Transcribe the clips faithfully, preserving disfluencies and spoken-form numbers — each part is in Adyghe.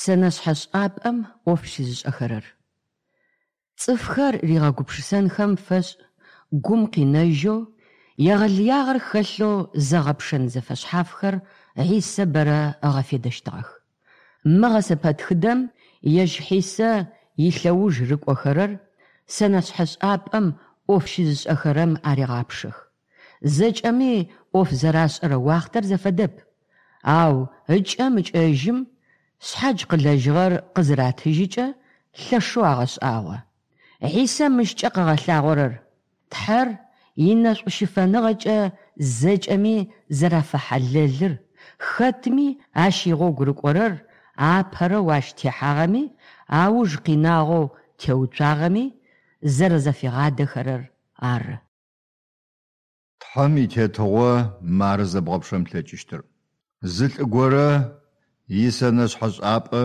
Сэнэшъхьэшӏапӏэм ӏоф щызышӏэхэрэр. Цӏыфхэр ригъэгупшысэнхэм фэшӏ гум къинэжьэу, егъэлыягъэр хэлъэу зэгъэпшэн зэфэшъхьафхэр Хьисэ бэрэ ыгъэфедэщтыгъэх. Мы гъэсэпэтхыдэм ежь Хьисэ илъэуж рыкӏохэрэр сэнэшъхьэшӏапӏэм ӏоф щызышӏэхэрэм арегъапшэх. Зэкӏэми ӏоф зэрашӏэрэ уахътэр зэфэдэп, ау ыкӏэм ыкӏэжьым шъхьадж къылэжьыгъэр къызыратыжьыкӏэ лъэшэу агъэшӏагъо. Хьисэ мыщкӏэ къыгъэлъагъорэр Тхьэр инэшӏущыфэныгъэкӏэ зэкӏэми зэрафэхьалэлыр, хэтми ащ игъогу рыкӏорэр апэрэу ащ техьагъэми, ауж къинагъэу теуцуагъэми зэрэзэфигъадэхэрэр ары. Тхьэм и Тетыгъо мары зэбгъэпшэн плъэкӏыщтыр. Зы лӏы горэ исэнэшъхьэшӏапӏэ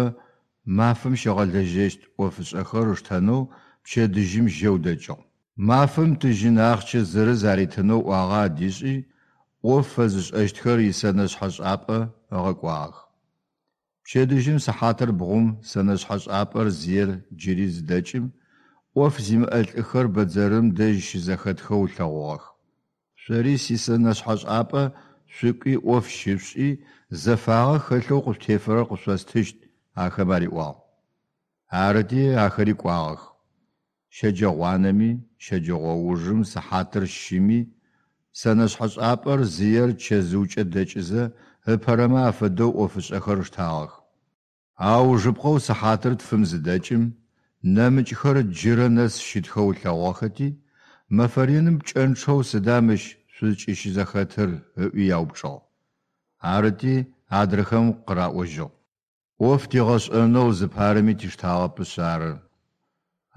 мафэм щигъэлэжьэщт ӏофышӏэхэр ыштэнэу пчэдыжьым жьэу дэкӏыгъ. Мафэм тыжьын ахъщэ зырыз аритынэу ӏуагъэ адишӏи, ӏоф фэзышӏэщтхэр исэнэшъхьэшӏапӏэ ыгъэкӏуагъэх. Пчэдыжьым сыхьатыр бгъум сэнэшъхьэшӏапӏэр зиер джыри зыдэкӏым, ӏоф зимыӏэ лӏыхэр бэдзэрым дэжь щызэхэтхэу ылъэгъугъэх. Шъори сисэнэшъхьэшӏапӏэ шъукӏуи ӏоф щышъушӏи, зэфагъэ хэлъэу къышъутефэрэр къышъостыщт, ахэм ариӏуагъ. Арыти ахэри кӏуагъэх. Щэджэгъуанэми, щэджэгъоужым сыхьатыр щыми сэнэшъхьэшӏапӏэр зиер чэзыукӏэ дэкӏызэ ыпэрэмэ афэдэу ӏофышӏэхэр ыштагъэх. Аужыпкъэу сыхьатыр тфым зыдэкӏым, нэмыкӏхэр джырэ нэс щытхэу ылъэгъугъэхэти, мэфэ реным пкӏэнчъэу сыда мыщ шъузкӏыщызэхэтыр ыӏуи яупчӏыгъ. Арыти адрэхэм къыраӏожьыгъ. ӏоф тигъэшӏэнэу зыпарэми тиштагъэпышъ ары.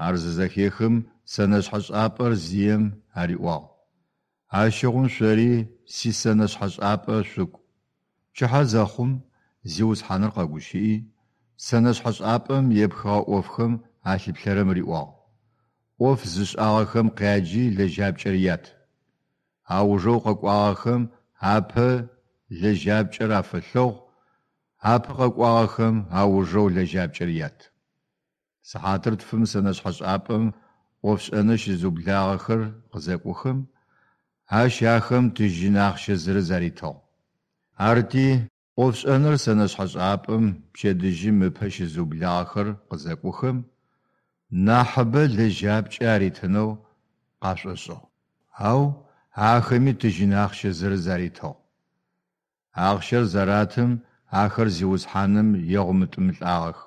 Ар зызэхехым сэнэшъхьэшӏапӏэр зием ариӏуагъ: Ащыгъум шъори сисэнэшъхьэшӏапӏэ шъукӏу. Пчыхьэ зэхъум Зиусхьаныр къэгущыӏи, сэнэшъхьэшӏапӏэм епхыгъэ ӏофхэм алъыплъэрэм риӏуагъ: Ӏоф зышӏагъэхэм къяджи лэжьапкӏэр ят. Аужэу къэкӏуагъэхэм апэ лэжьапкӏэр афэлъэгъу, апэ къэкӏуагъэхэм аужэу лэжьапкӏэр ят. Сыхьатыр тфым сэнэшъхьэшӏапӏэм ӏофшӏэныр щызыублагъэхэр къызэкӏохэм, ащ ахэм тыжьын ахъщэ зырыз аритыгъ. Арыти ӏофшӏэныр сэнэшъхьэшӏапӏэм пчэдыжьым ыпэ щызыублагъэхэр къызэкӏохэм, нахьыбэ лэжьапкӏэ аритынэу къашӏошӏыгъ. Ау ахэми тыжьын ахъщэ зырыз аритыгъ. Ахъщэр заратым ахэр Зиусхьаным егъумытӏымылӏагъэх.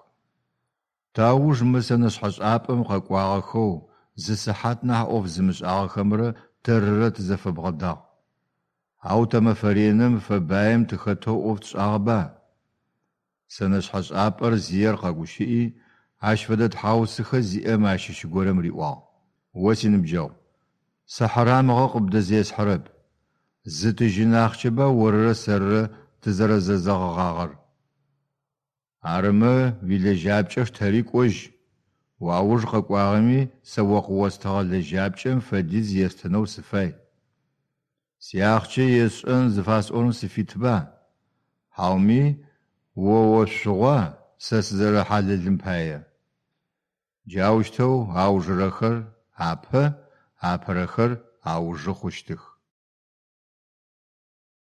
Тауж мы сэнэшъхьэшӏапӏэм къэкӏуагъэхэу зы сыхьат нахь ӏоф зымышӏагъэхэмрэ тэрырэ тызэфэбгъэдагъ. Ау тэ мэфэ реным фэбаем тыхэтэу ӏоф тшӏагъэба? Сэнэшъхьэшӏапӏэр зиер къэгущыӏи, ащ фэдэ тхьаусыхэ зиӏэм ащыщ горэм риӏуагъ: О синыбджэгъу, сэ хьарамыгъэ къыбдэзесхьэрэп. Зы тыжьын ахъщэба орырэ сэрырэ тызэрэзэзэгъыгъагъэр. Арымэ уилэжьапкӏэ штэри кӏожь. Уауж къэкӏуагъэми сэ о къыостыгъэ лэжьапкӏэм фэдиз естынэу сыфай. Сиахъщэ есшӏэн зыфасӏорэм сыфитба? Хьауми о ошъугъуа сэ сызэрэхьалэлым пае? Джаущтэу аужырэхэр апэ, апэрэхэр аужы хъущтых.